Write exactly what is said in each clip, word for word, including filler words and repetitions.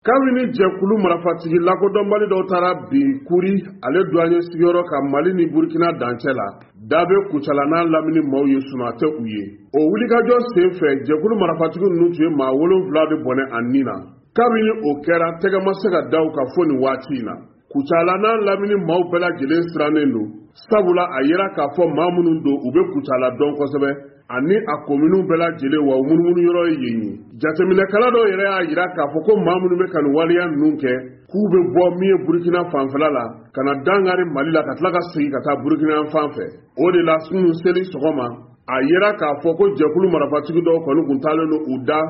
Kabini jɛkulu marifatigi lakodɔnbali dɔw taara bin Kuri ale douanier sigiyɔrɔ kan Mali ni Burkina dancɛ la, da bɛ Kucala n'a lamini maaw ye sunaa tɛ u ye. O wulikajɔ sen fɛ, jɛkulu marifatigi ninnu tun ye maa wolonwula de bɔnɛ a ni na. Kabini o kɛra, tɛgɛ ma se ka da u kan fo nin waati in na. Kucala n'a lamini maaw bɛɛ lajɛlen sirannen don, sabula a yera k'a fɔ maa minnu don, u bɛ Kucala dɔn kosɛbɛ ani a kominiw bɛɛ lajɛlen, wa u munumunu yɔrɔ ye yen ye. Jateminɛkɛla dɔw yɛrɛ y'a jira k'a fɔ ko maa minnu bɛ ka nin waleya ninnu kɛ, k'u bɛ bɔ min ye Burukina fanfɛla la ka na dankari Mali la, ka tila ka segin ka taa Burukina fan fɛ. O de la, kunun seli sɔgɔma, a yera k'a fɔ ko jɛkulu marifatigi dɔw kɔni kun taalen don u da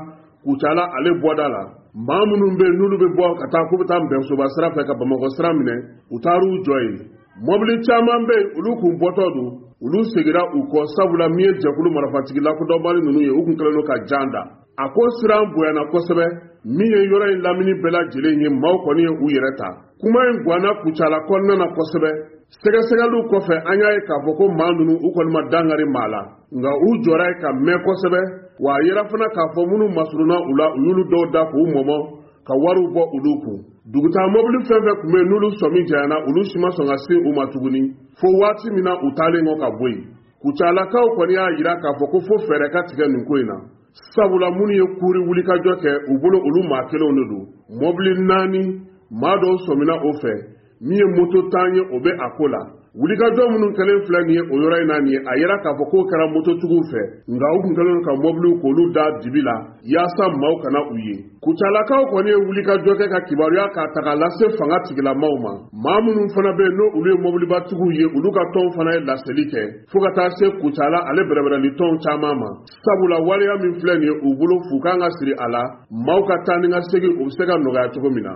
Kucala ale bɔda la. Maa minnu bɛ yen n'olu bɛ bɔ ka taa k'u bɛ taa Nbɛnsoba sira fɛ ka Bamakɔ sira minɛ, u taar'u jɔ yen. Mɔbili caman bɛ yen, olu kun bɔtɔ don, olu seginna u kɔ, sabula min ye jɛkulu marifatigi lakodɔnbali ninnu ye, u kun kɛlen don ka jan da. A ko siran bonyana kosɛbɛ. Min ye yɔrɔ in lamini bɛɛ lajɛlen ye, maaw kɔni ye u yɛrɛ ta. Kuma in ganna Kucala kɔnɔna na kosɛbɛ. Sɛgɛsɛgɛliw kɔfɛ, an y'a ye k'a fɔ ko maa ninnu, u kɔni ma dankari maa la, nka u jɔra yen ka mɛn kosɛbɛ. Wa a yera fana k'a fɔ minnu masurunna u la, u y'olu dɔw da k'u mɔmɔ ka wariw bɔ olu kun. Dugutaa mɔbili fɛn fɛn tun bɛ yen n'olu sɔmi janyana, olu si ma sɔn ka se u ma tuguni fo waati min na u taalen kɔ ka bɔ yen. Kucalakaw kɔni y'a jira k'a fɔ ko fo fɛɛrɛ ka tigɛ nin ko in na, sabula minnu ye Kuri wulikajɔ kɛ, u bolo olu maa kelenw de don. Mɔbili naani, maa dɔw sɔmina o fɛ. Min ye moto tan ye, o bɛ a ko la. Wulikajɔ minnu kɛlen filɛ nin ye o yɔrɔ in na nin ye, a yera k'a fɔ k'o kɛra mototigiw fɛ, nka u kun kɛlen don ka mɔbiliw k'olu da dibi la yaasa maaw kana u ye. Kucalakaw kɔni ye wulikajɔ kɛ ka kibaruya k'a ta k'a lase fanga tigilamaw ma. Maa minnu fana bɛ yen n'o olu ye mɔbilibatigiw ye, olu ka tɔnw fana ye laseli kɛ fo ka taa se Kucala ale bɛrɛbɛrɛli tɔnw caman ma, sabula waleya min filɛ nin ye, u bolo fu kan ka siri a la, maaw ka taa ni ka segin, u bɛ se ka nɔgɔya cogo min na.